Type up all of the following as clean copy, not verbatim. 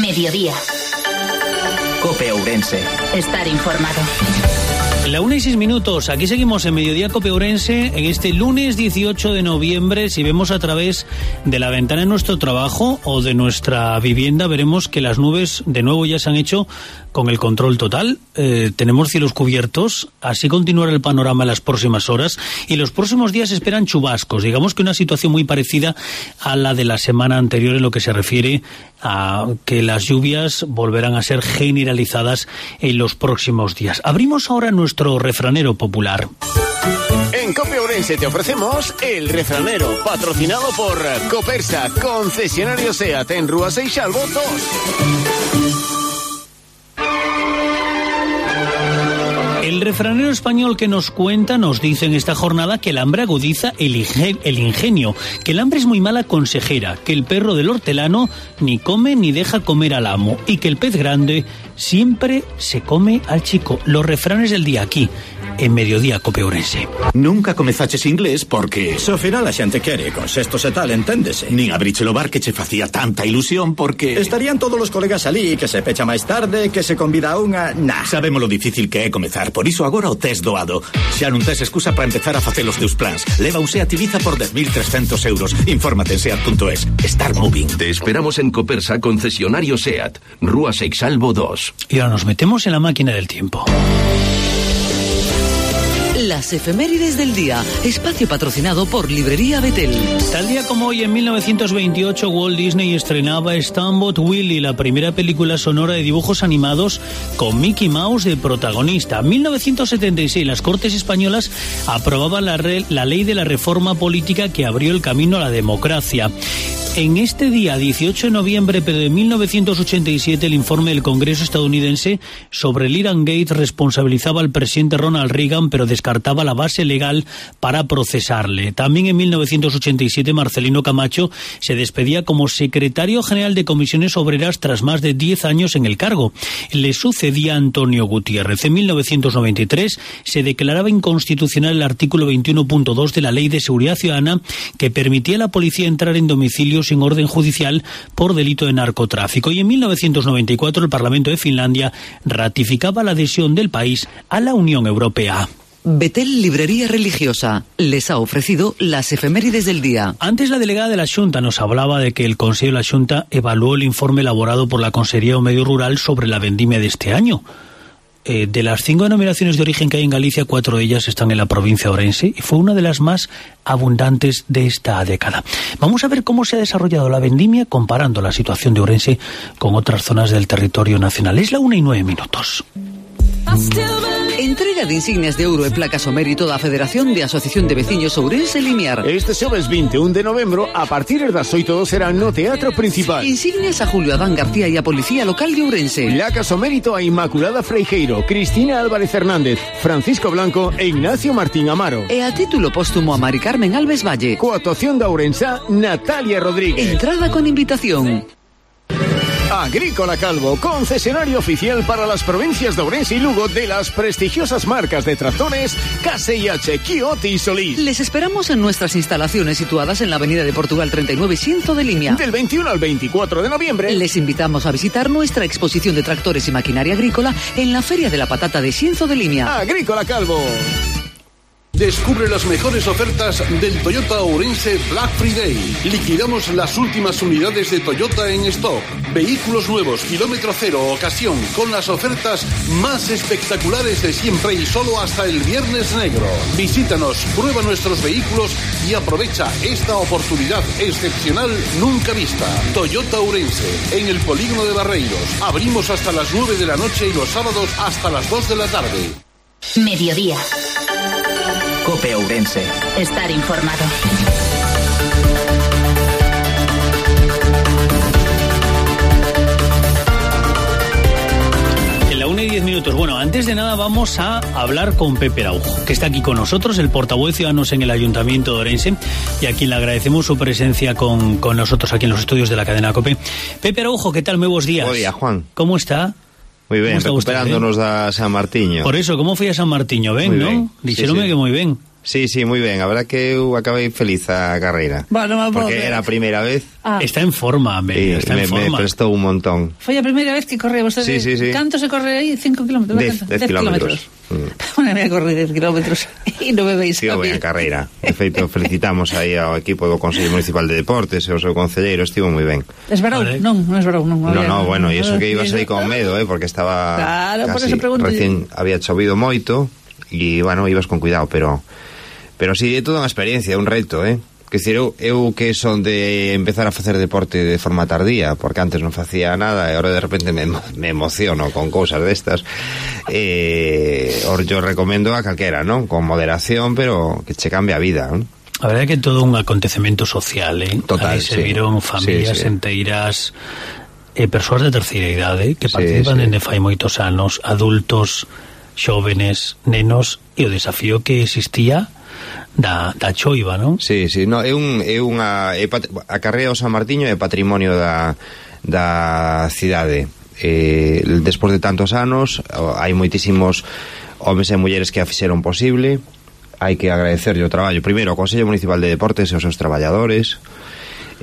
Mediodía. COPE Ourense. Estar informado. La 1:06. Aquí seguimos en Mediodía COPE Ourense en este lunes 18 de noviembre. Si vemos a través de la ventana de nuestro trabajo o de nuestra vivienda, veremos que las nubes de nuevo ya se han hecho con el control total. Tenemos cielos cubiertos, así continuará el panorama en las próximas horas y los próximos días esperan chubascos. Digamos que una situación muy parecida a la de la semana anterior en lo que se refiere a que las lluvias volverán a ser generalizadas en los próximos días. Abrimos ahora nuestro refranero popular. En COPE Ourense te ofrecemos el refranero, patrocinado por Copersa, concesionario SEAT en Rúa Seixalbo 2. El refranero español que nos cuenta nos dice en esta jornada que el hambre agudiza el ingenio, que el hambre es muy mala consejera, que el perro del hortelano ni come ni deja comer al amo y que el pez grande siempre se come al chico. Los refranes del día aquí, en Mediodía COPE Ourense. Nunca comezaches inglés porque so final a xente quere, con sextos e tal, enténdese. Nin abriche o bar que che facía tanta ilusión porque estarían todos os colegas alí, que se pecha máis tarde, que se convida a unha... Nah. Sabemos lo difícil que é comezar, por iso agora o tes doado. Xa non tes excusa para empezar a facer os teus plans. Leva un SEAT Ibiza por 10.300 euros. Infórmate en SEAT.es. Start moving. Te esperamos en Copersa, concesionario SEAT, Rúa Seixalbo 2. Y ahora nos metemos en la máquina del tiempo. Las efemérides del día, espacio patrocinado por Librería Betel. Tal día como hoy, en 1928, Walt Disney estrenaba Steamboat Willie, la primera película sonora de dibujos animados con Mickey Mouse de protagonista. En 1976, las Cortes Españolas aprobaban la ley de la reforma política que abrió el camino a la democracia. En este día, 18 de noviembre pero de 1987, el informe del Congreso estadounidense sobre el Irán Gate responsabilizaba al presidente Ronald Reagan, pero descartaba la base legal para procesarle. También en 1987, Marcelino Camacho se despedía como secretario general de Comisiones Obreras tras más de 10 años en el cargo. Le sucedía Antonio Gutiérrez. En 1993 se declaraba inconstitucional el artículo 21.2 de la Ley de Seguridad Ciudadana, que permitía a la policía entrar en domicilios sin orden judicial por delito de narcotráfico. Y en 1994 el Parlamento de Finlandia ratificaba la adhesión del país a la Unión Europea. Betel Librería Religiosa les ha ofrecido las efemérides del día. Antes la delegada de la Xunta nos hablaba de que el Consejo de la Xunta evaluó el informe elaborado por la Consellería de Medio Rural sobre la vendimia de este año. De las 5 denominaciones de origen que hay en Galicia, 4 de ellas están en la provincia de Ourense y fue una de las más abundantes de esta década. Vamos a ver cómo se ha desarrollado la vendimia comparando la situación de Ourense con otras zonas del territorio nacional. Es la 1:09. Entrega de insignias de ouro e placas ao mérito da Federación de Asociación de Veciños Ourense Limiar. Este xoves 21 de novembro, a partir das 8 será no Teatro Principal. Insignias a Julio Adán García e a Policía Local de Ourense. Placas ao mérito a Inmaculada Freijeiro, Cristina Álvarez Hernández, Francisco Blanco e Ignacio Martín Amaro. E a título póstumo a Mari Carmen Alves Valle. Coa actuación da ourensa Natalia Rodríguez. Entrada con invitación. Agrícola Calvo, concesionario oficial para las provincias de Ourense y Lugo de las prestigiosas marcas de tractores KSH, Kioti y Solís. Les esperamos en nuestras instalaciones situadas en la avenida de Portugal 39, Xinzo de Limia. Del 21 al 24 de noviembre. Les invitamos a visitar nuestra exposición de tractores y maquinaria agrícola en la Feria de la Patata de Xinzo de Limia. Agrícola Calvo. Descubre las mejores ofertas del Toyota Ourense Black Friday. Liquidamos las últimas unidades de Toyota en stock. Vehículos nuevos, kilómetro cero, ocasión, con las ofertas más espectaculares de siempre y solo hasta el Viernes Negro. Visítanos, prueba nuestros vehículos y aprovecha esta oportunidad excepcional nunca vista. Toyota Ourense, en el polígono de Barreiros. Abrimos hasta las 9 de la noche y los sábados hasta las 2 de la tarde. Mediodía. COPE Ourense. Estar informado. En la 1:10. Bueno, antes de nada vamos a hablar con Pepe Araujo, que está aquí con nosotros, el portavoz de Ciudadanos en el Ayuntamiento de Ourense, y a quien le agradecemos su presencia con nosotros aquí en los estudios de la cadena COPE. Pepe Araujo, ¿qué tal? Muy buenos días. Buen día, Juan. ¿Cómo está? Moi ben, recuperándonos da San Martiño. Por eso, como foi a San Martiño? Ben, non? Dixeronme que moi ben. Sí, moi ben, a verdad que eu acabei feliz a carreira. Bueno, porque era a primeira vez. Está en forma, está en forma. Me prestou un montón. Foi a primeira vez que corre vostede. Sí. Canto se corre aí? 5 kilómetros? 10 kilómetros. Unha vez a correr 10 kilómetros e non me veis a mí. Estivo ben a carreira. De feito, felicitamos aí ao equipo do Consello Municipal de Deportes e ao seu concelleiro, estivo moi ben. Esbarou? Non esbarou. No, bueno, e iso que ibas aí con medo, porque estaba claro, casi, por eso pregunto. Recién había chovido moito e, bueno, ibas con cuidado, pero sí, é toda unha experiencia, un reto, Que dicir, eu que son de empezar a facer deporte de forma tardía, porque antes non facía nada e agora de repente me emociono con cousas destas. Yo recomendo a calquera, non? Con moderación, pero que che cambia a vida, non? A verdade é que é todo un acontecemento social, Total, aí se viron familias enteiras, persoas de terceira idade que participan dende fai moitos anos, adultos, xóvenes, nenos, e o desafío que existía da choiva, non? Sí, no, a carreira ao San Martiño é patrimonio da cidade. Despois de tantos anos hai moitísimos homes e mulleres que a fixeron posible. Hai que agradecerlle o traballo primeiro ao Consello Municipal de Deportes e aos seus traballadores,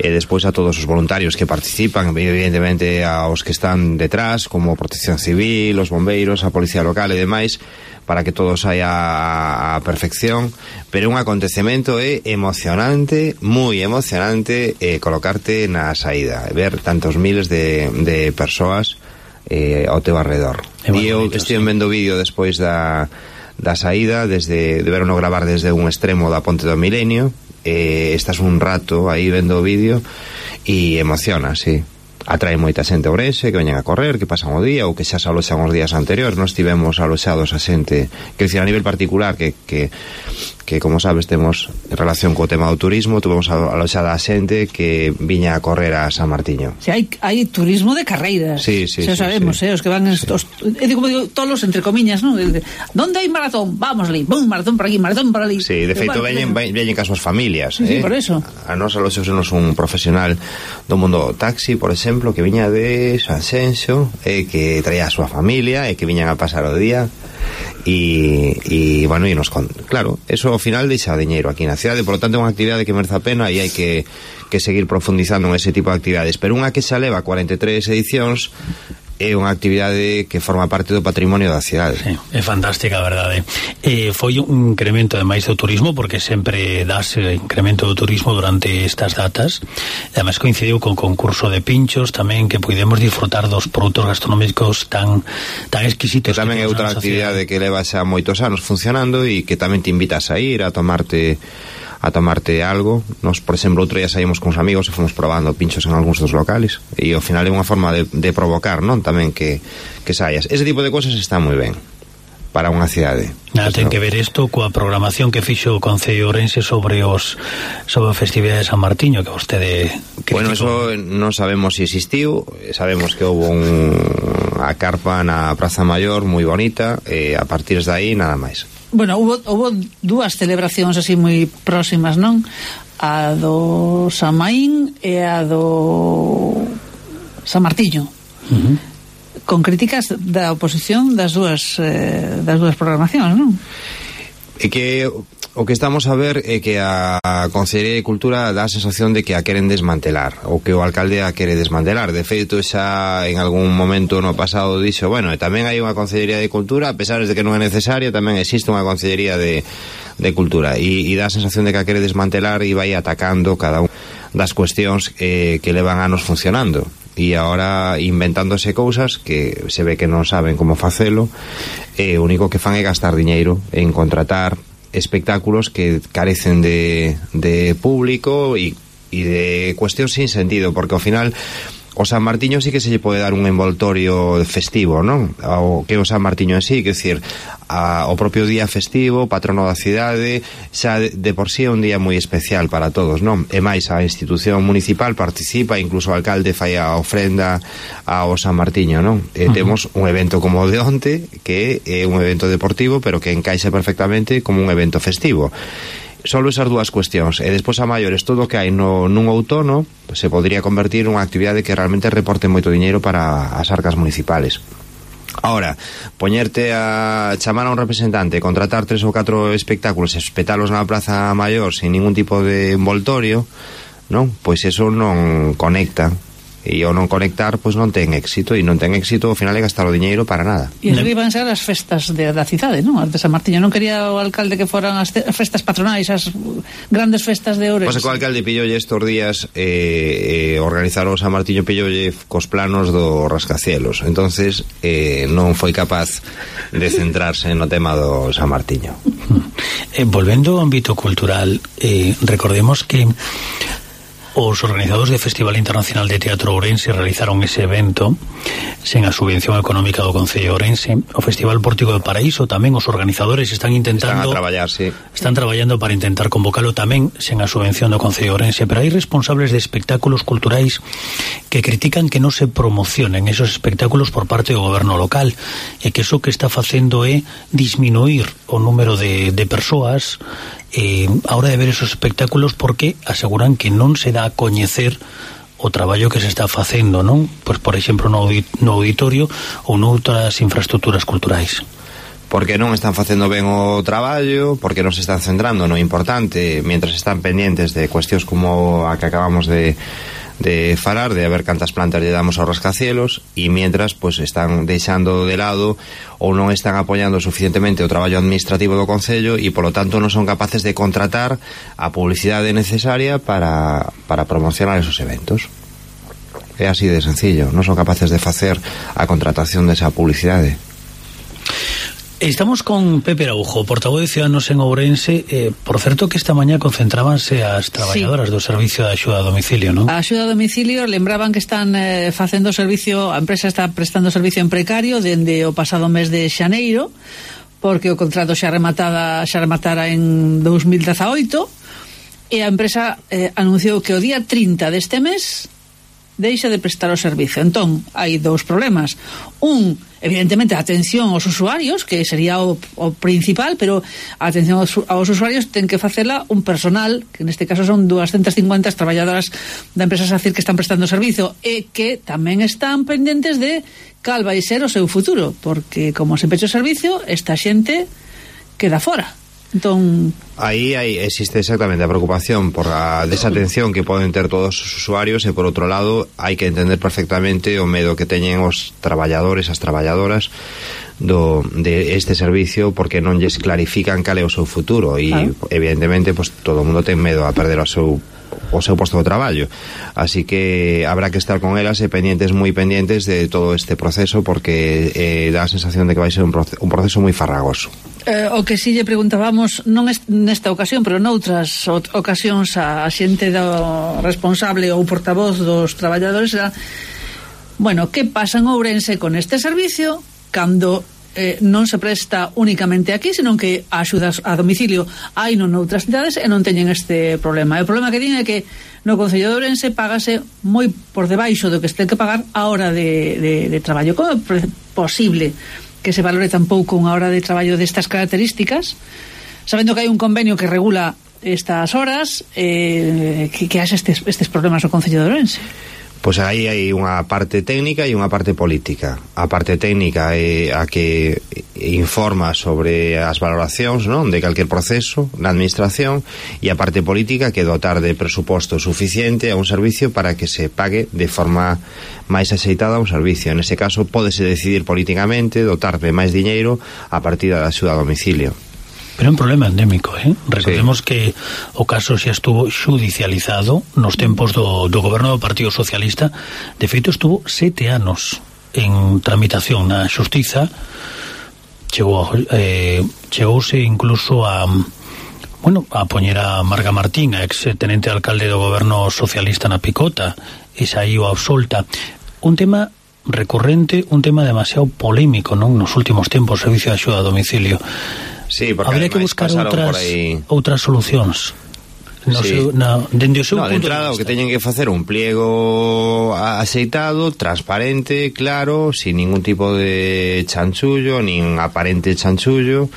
e despois a todos os voluntarios que participan, evidentemente aos que están detrás, como Protección Civil, os bombeiros, a Policía Local e demais, para que todo saia a perfección. Pero un acontecemento emocionante, moi emocionante, colocarte na saída, ver tantos miles de persoas ao teu arredor. E eu estive vendo vídeo despois da saída, de verlo gravar desde un extremo da Ponte do Milenio. Estás un rato aí vendo o vídeo e emociona, sí. Atrae moita xente a Ourense que veñen a correr, que pasan o día ou que xa se aloxan os días anteriores. Nós tivemos aloxados a xente, que decir, a nivel particular, que como sabes temos relación co tema do turismo, tuvemos aloxada a xente que viña a correr a San Martiño. Si hai turismo de carreiras. Sí, xa sabemos, os que van como digo, tolos entre comiñas, non? Donde hai maratón? Vamos ali, maratón por aquí, maratón por ali. Sí, de feito veñen cas súas familias, Sí, por eso. A nós aloxosenos un profesional do mundo taxi, por exemplo, que viña de Sanxenxo, que traía a súa familia e que viñan a pasar o día. E bueno, claro, eso ao final deixa diñeiro aquí na cidade, por lo tanto é unha actividade que merece a pena e hai que seguir profundizando en ese tipo de actividades, pero unha que xa leva 43 edicións é unha actividade que forma parte do patrimonio da cidade. Sí, é fantástica, a verdade. Foi un incremento ademais do turismo, porque sempre das incremento do turismo durante estas datas. Ademais coincidiu con concurso de pinchos tamén, que podemos disfrutar dos produtos gastronómicos tan exquisitos. Que tamén é outra actividade que leva xa moitos anos funcionando e que tamén te invitas a ir a tomarte algo. Nos, por exemplo, outro día saímos con os amigos e fomos probando pinchos en algúns dos locales e ao final é unha forma de provocar, non? Tamén que saias. Ese tipo de cosas está moi ben para unha cidade. Ten que ver isto coa programación que fixo o Concello Ourense sobre a festividade de San Martiño, que vostede criticou. Bueno, eso non sabemos se existiu. Sabemos que houve unha carpa na Praza Maior moi bonita, e a partir de aí nada máis. Bueno, hubo dúas celebracións así moi próximas, non? A do San Maín e a do San Martiño. Con críticas da oposición das dúas programacións, non? É que o que estamos a ver é que a Consellería de Cultura dá a sensación de que a queren desmantelar, ou que o alcalde a quere desmantelar. De feito, xa en algún momento no pasado dixo, bueno, tamén hai unha Consellería de Cultura, a pesar de que non é necesaria, tamén existe unha Consellería de Cultura, e dá a sensación de que a quere desmantelar e vai atacando cada unha das cuestións que levan anos funcionando, e agora inventándose cousas que se ve que non saben como facelo, e o único que fan é gastar diñeiro en contratar espectáculos que carecen de público e de cuestión sin sentido, porque ao final o San Martiño sí que se lle pode dar un envoltorio festivo, non? O que o San Martiño en sí, que decir, o propio día festivo, patrono da cidade, xa de por sí é un día moi especial para todos, non? E máis, a institución municipal participa, incluso o alcalde fai a ofrenda ao San Martiño, non? Temos un evento como o de onte, que é un evento deportivo, pero que encaixa perfectamente como un evento festivo. Solo esas dúas cuestións, e despois a maiores todo o que hai nun outono se podría convertir nunha actividade que realmente reporte moito diñeiro para as arcas municipales. Ahora, poñerte a chamar a un representante, contratar 3 ou 4 espectáculos e espetalos na Praza Maior sin ningún tipo de envoltorio, non? Pois eso non conecta. E ao non conectar, pois non ten éxito, e non ten éxito, ao final é gastar o diñeiro para nada. E eso iban ser as festas da cidade, non? As de San Martiño. Non quería o alcalde que foran as festas patronais, as grandes festas de Ourense. Pois o alcalde pillolle estes días organizar o San Martiño, pillolle cos planos do rascacielos. Entonces non foi capaz de centrarse no tema do San Martiño. Volvendo ao ámbito cultural, recordemos que os organizadores do Festival Internacional de Teatro Ourense realizaron ese evento sen a subvención económica do Concello de Ourense. O Festival Pórtico de Paraíso tamén os organizadores están intentando están traballando para intentar convocalo tamén sen a subvención do Concello de Ourense, pero hai responsables de espectáculos culturais que critican que non se promocionen esos espectáculos por parte do goberno local e que eso que está facendo é disminuir o número de persoas a hora de ver esos espectáculos, porque aseguran que non se dá a coñecer o traballo que se está facendo, non? Pois, por exemplo, no auditorio ou noutras infraestructuras culturais. Porque non están facendo ben o traballo, porque non se están centrando no importante, mentras están pendientes de cuestións como a que acabamos de falar, de ver cantas plantas lle damos aos rascacielos, e mientras pues están deixando de lado ou non están apoiando suficientemente o traballo administrativo do Concello, e polo tanto non son capaces de contratar a publicidade necesaria para promocionar esos eventos. É así de sencillo, non son capaces de facer a contratación desa publicidade. Estamos con Pepe Araujo, portavoz de Ciudadanos en Ourense. Por certo que esta mañá concentrábanse as traballadoras do servicio de axuda a domicilio, non? A axuda a domicilio lembraban que están facendo servicio, a empresa está prestando servicio en precario dende o pasado mes de xaneiro, porque o contrato xa rematara en 2018, e a empresa anunciou que o día 30 deste mes deixa de prestar o servicio. Entón, hai dous problemas. Un, evidentemente, a atención aos usuarios, que sería o principal, pero a atención aos usuarios ten que facela un personal, que neste caso son 250 traballadoras da empresa SACIR que están prestando servicio, e que tamén están pendentes de cal vai ser o seu futuro, porque como se pecha o servicio, esta xente queda fora. Entón, aí existe exactamente a preocupación por a desatención que poden ter todos os usuarios, e por outro lado hai que entender perfectamente o medo que teñen os traballadores, as traballadoras de este servicio, porque non lles clarifican cal é o seu futuro, e evidentemente pues, todo o mundo ten medo a perder o seu posto de traballo, así que habrá que estar con elas e moi pendientes de todo este proceso, porque dá a sensación de que vai ser un proceso moi farragoso. O que si lle preguntábamos, non nesta ocasión, pero noutras ocasións, a xente do responsable ou portavoz dos traballadores era, bueno, que pasa en Ourense con este servicio cando non se presta únicamente aquí, senón que a axudas a domicilio hai non noutras cidades e non teñen este problema. E o problema que tiñen é que no Concello de Ourense págase moi por debaixo do que se ten que pagar a hora de traballo. Como é posible que se valore tan pouco unha hora de traballo destas características, sabendo que hai un convenio que regula estas horas, que haxe estes problemas no Concello de Ourense? Pois aí hai unha parte técnica e unha parte política. A parte técnica é a que informa sobre as valoracións, non, de calquer proceso na administración, e a parte política que dotar de presuposto suficiente a un servicio para que se pague de forma máis axeitada a un servicio. En ese caso pódese decidir políticamente dotar de máis diñeiro a partir da axuda a domicilio. Pero é un problema endémico, Recordemos que o caso xa estuvo xudicializado nos tempos do goberno do Partido Socialista. De feito, estuvo 7 anos en tramitación na xustiza. Chegouse incluso a poñer a Marga Martín, a ex tenente alcalde do goberno socialista na Picota, e saíu absolta. Un tema recurrente, un tema demasiado polémico, non, nos últimos tempos, o servicio de axuda a domicilio. Sí, porque habría que buscar outras solucións. Dende o seu punto de entrada, o que teñen que facer un pliego axeitado, transparente, claro, sin ningún tipo de chanchullo, nin aparente chanchullo,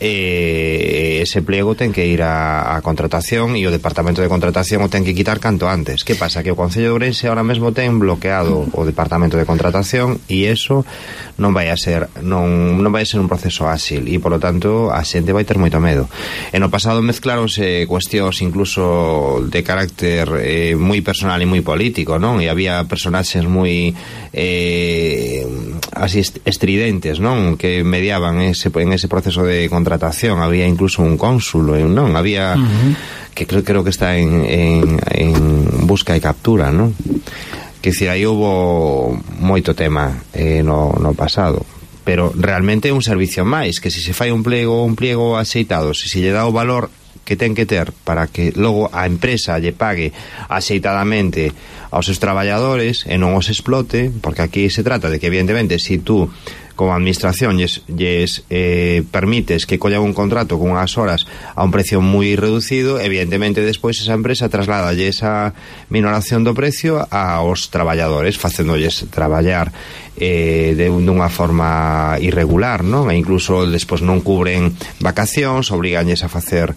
ese pliego ten que ir a contratación e o departamento de contratación o ten que quitar canto antes. Que pasa? Que o Concello de Ourense ahora mesmo ten bloqueado o departamento de contratación e eso non vai a ser un proceso áxil e polo tanto a xente vai ter moito medo. En o pasado mezclaronse cuestións incluso de carácter moi personal e moi político, non? E había personaxes moi así estridentes, non? Que mediaban en ese proceso de contratación. Había incluso un cónsul, non? Había que creo que está en busca e captura, non? Que decir, aí houve moito tema no pasado, pero realmente é un servicio máis, que se fai un pliego axeitado, se lle dá o valor que ten que ter para que logo a empresa lle pague axeitadamente aos seus traballadores e non os explote, porque aquí se trata de que evidentemente se tú como administración lles permites que collan un contrato con unhas horas a un precio moi reducido, evidentemente despois esa empresa trasladalle esa minoración do precio aos traballadores, facéndolles traballar dunha forma irregular, non? E incluso despois non cubren vacacións, obriganlles a facer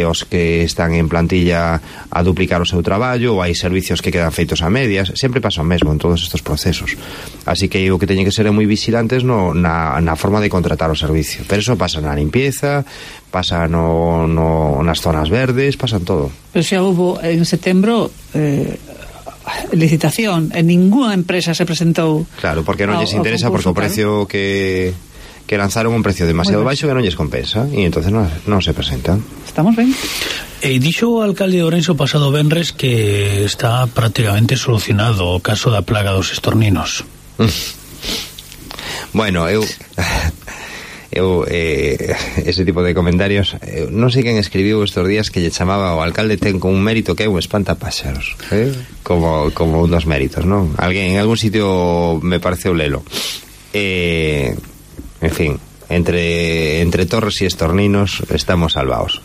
os que están en plantilla a duplicar o seu traballo, ou hai servicios que quedan feitos a medias. Sempre pasa o mesmo en todos estes procesos, así que o que teñen que ser moi vigilantes na forma de contratar o servicio. Pero eso pasa na limpieza, pasa nas zonas verdes, pasa en todo. Pero xa hubo en setembro licitación e ninguna empresa se presentou. Claro, porque non lles interesa, porque o precio que lanzaron un precio demasiado baixo que non lles compensa e entonces non se presentan. Estamos ben. Dixo o alcalde de Ourense o pasado venres que está prácticamente solucionado o caso da plaga dos estorninos. Bueno, eu ese tipo de comentarios, non sei quen escribiu estes días que lle chamaba o alcalde ten con un mérito que é un espantapáxaros, como un dos méritos, non? Alguén en algún sitio me pareceu lelo. En fin, entre torres e estorninos estamos salvados.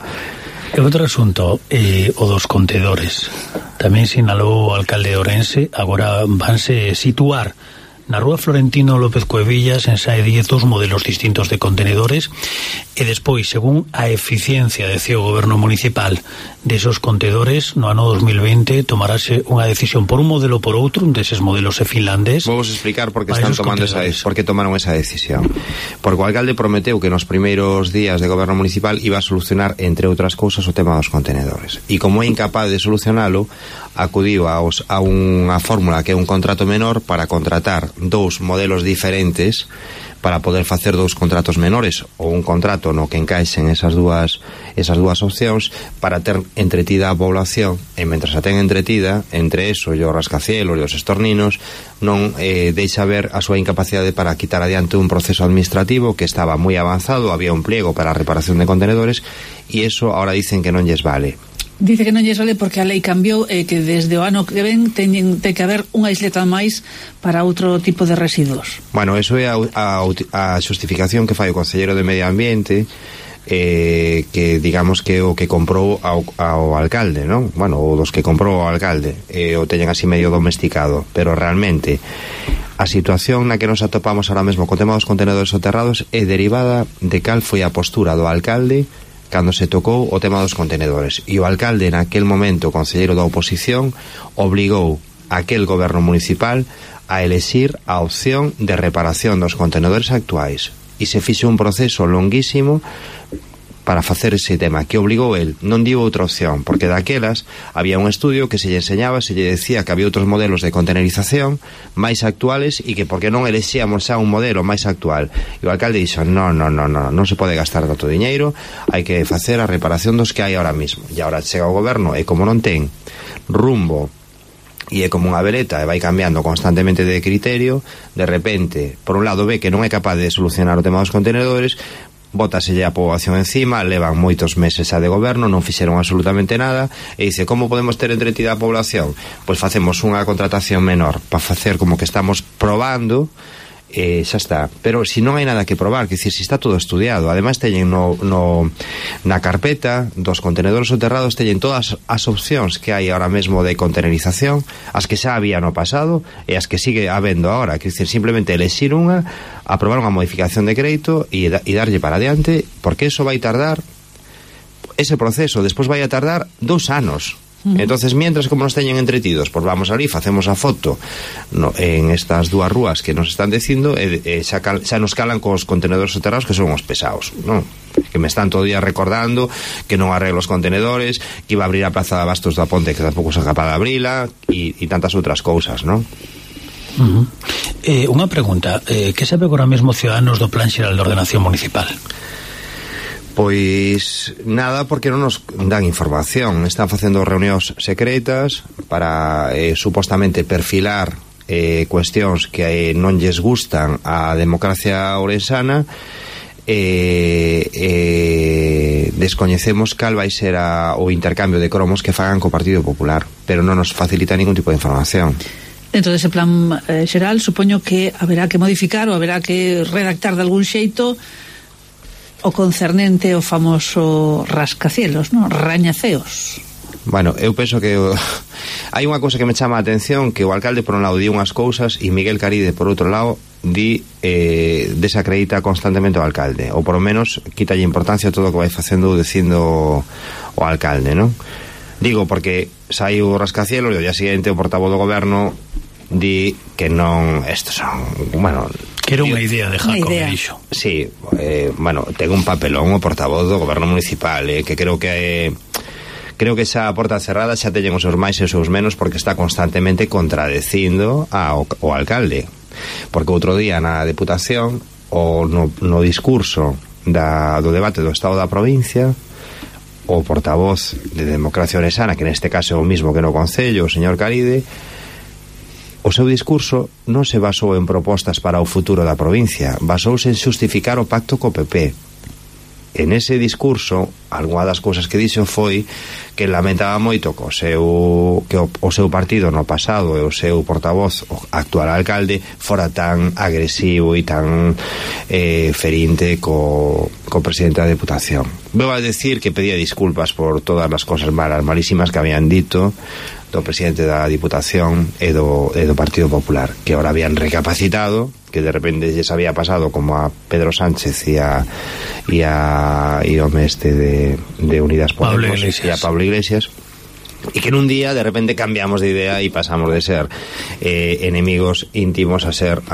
E outro asunto, o dos contedores. Tamén sinalou o alcalde de Ourense, agora vanse situar na rúa Florentino López Cuevillas en SAE 10 dos modelos distintos de contenedores e despois, según a eficiencia de o goberno municipal desos contedores, no ano 2020 tomarase unha decisión por un modelo ou por outro, un deses modelos é finlandés. Vamos explicar por que están tomando por que tomaron esa decisión. Porque o alcalde prometeu que nos primeiros días de goberno municipal iba a solucionar, entre outras cousas, o tema dos contenedores. E como é incapaz de solucionalo, acudiu a unha fórmula que é un contrato menor para contratar dous modelos diferentes para poder facer dous contratos menores ou un contrato no que encaixen esas dúas opcións para ter entretida a población e mentras a ten entretida, entre eso e o rascacielos e os estorninos non deixa ver a súa incapacidade para quitar adiante un proceso administrativo que estaba moi avanzado, había un pliego para a reparación de contenedores e eso ahora dicen que non lles vale. Dice que non lle sale porque a lei cambiou e que desde o ano que ven ten que haber unha isleta máis para outro tipo de residuos. Bueno, eso é a xustificación que fai o Conselleiro de Medio Ambiente, que digamos que o que comprou ao alcalde, non? Bueno, o dos que comprou ao alcalde, o teñen así medio domesticado, pero realmente a situación na que nos atopamos ahora mesmo co tema dos contenedores soterrados é derivada de cal foi a postura do alcalde cando se tocou o tema dos contenedores. E o alcalde, naquel momento, concelleiro da oposición, obligou a aquel goberno municipal a elexir a opción de reparación dos contenedores actuais. E se fixe un proceso longuísimo para facer ese tema, que obligou el, non dio outra opción, porque daquelas había un estudio que se lle enseñaba, se lle decía que había outros modelos de contenerización máis actuales e que porque non elexíamos xa un modelo máis actual. E o alcalde dixo, non se pode gastar tanto diñeiro, hai que facer a reparación dos que hai ahora mismo. E agora chega o goberno e como non ten rumbo e é como unha veleta e vai cambiando constantemente de criterio, de repente, por un lado ve que non é capaz de solucionar o tema dos contenedores, bótaselle a poboación encima, levan moitos meses xa de goberno, non fixeron absolutamente nada e dice, como podemos ter entretida a población? Pois facemos unha contratación menor para facer como que estamos probando xa está. Pero si non hai nada que probar, que dicir, si está todo estudiado, ademais teñen na carpeta dos contenedores soterrados, teñen todas as opcións que hai ahora mesmo de contenerización, as que xa había no pasado e as que sigue habendo ahora, que dicir, simplemente elexir unha, aprobar unha modificación de crédito e darlle para adiante, porque eso vai tardar, ese proceso despois vai a tardar 2 anos. Entonces, mientras como nos teñen entretidos, pues vamos ali, facemos a foto en estas dúas rúas que nos están dicindo xa nos calan cos contenedores soterrados, que son os pesados, non? Que me están todo día recordando que non arreglo os contenedores, que iba a abrir a Plaza de Abastos da Ponte, que tampouco se capaz de abrila, e tantas outras cousas, non? Unha pregunta, que sabe agora mesmo Ciudadanos do Plan Xeral de Ordenación Municipal? Pois nada, porque non nos dan información. Están facendo reunións secretas para supostamente perfilar cuestións que non lles gustan á democracia ourensana. Descoñecemos cal vai ser o intercambio de cromos que fagan co Partido Popular, pero non nos facilita ningún tipo de información. Dentro dese plan xeral, supoño que haberá que modificar ou haberá que redactar de algún xeito o concernente o famoso rascacielos, non? Rañaceos. Bueno, eu penso que hai unha cousa que me chama a atención, que o alcalde por un lado di unhas cousas e Miguel Caride por outro lado desacredita constantemente o alcalde, ou por lo menos quítalle importancia a todo o que vai facendo ou dicindo o alcalde, non? Digo porque saiu o rascacielos e ao día seguinte o portavoz do goberno di que non, estos son, bueno, que era unha idea de Jacob, dixo. Sí, bueno, ten un papelón o portavoz do goberno municipal, que creo que esa porta cerrada xa teñen os seus máis e os seus menos, porque está constantemente contradecindo ao alcalde. Porque outro día na Deputación, no discurso do debate do Estado da provincia, o portavoz de Democracia Ourensana, que neste caso é o mismo que no Concello, o señor Caride, o seu discurso non se basou en propostas para o futuro da provincia, basouse en xustificar o pacto co PP. En ese discurso, algunha das cousas que dixo foi que lamentaba moito que o seu partido no pasado e o seu portavoz, o actual alcalde, fora tan agresivo e tan ferinte co presidente da Deputación. Veu a decir que pedía disculpas por todas as cosas malísimas que habían dito do presidente da Diputación e do Partido Popular, que ahora habían recapacitado, que de repente lles había pasado como a Pedro Sánchez e ao mestre de Unidas Podemos e a Pablo Iglesias, e que en un día de repente cambiamos de idea e pasamos de ser enemigos íntimos a ser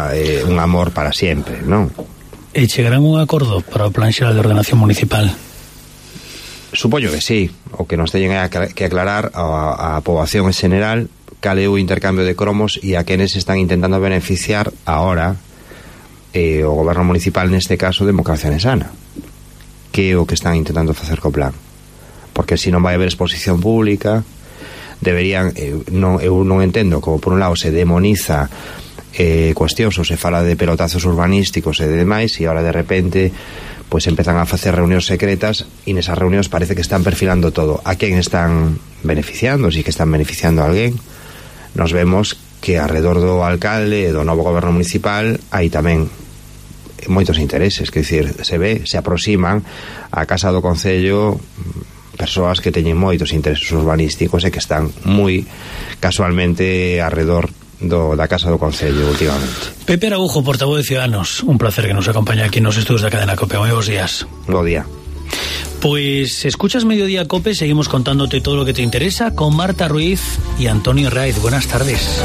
un amor para siempre, non? E chegarán un acordo para o Plan Xeral de Ordenación Municipal? Supoño que sí. O que nos teñen que aclarar a poboación en general cal é o intercambio de cromos e a quenes están intentando beneficiar ahora o goberno municipal, neste caso Democracia Ourensana, que é o que están intentando facer co plan. Porque se non vai haber exposición pública, deberían, eu non entendo como por un lado se demoniza cuestións ou se fala de pelotazos urbanísticos e demais, e ahora de repente pues empezan a facer reunións secretas e nesas reunións parece que están perfilando todo. A quen están beneficiando, si que están beneficiando a alguén. Nos vemos que alrededor do alcalde e do novo goberno municipal hai tamén moitos intereses, que dicir, se aproximan á Casa do Concello persoas que teñen moitos intereses urbanísticos e que están moi casualmente alrededor da Casa do Concello últimamente. Pepe Araujo, portavoz de Ciudadanos, un placer que nos acompañe aquí nos estudios da cadena COPE. Moi bons días. Bo día. Pues escuchas Mediodía COPE, seguimos contándote todo lo que te interesa con Marta Ruiz y Antonio Raiz. Buenas tardes.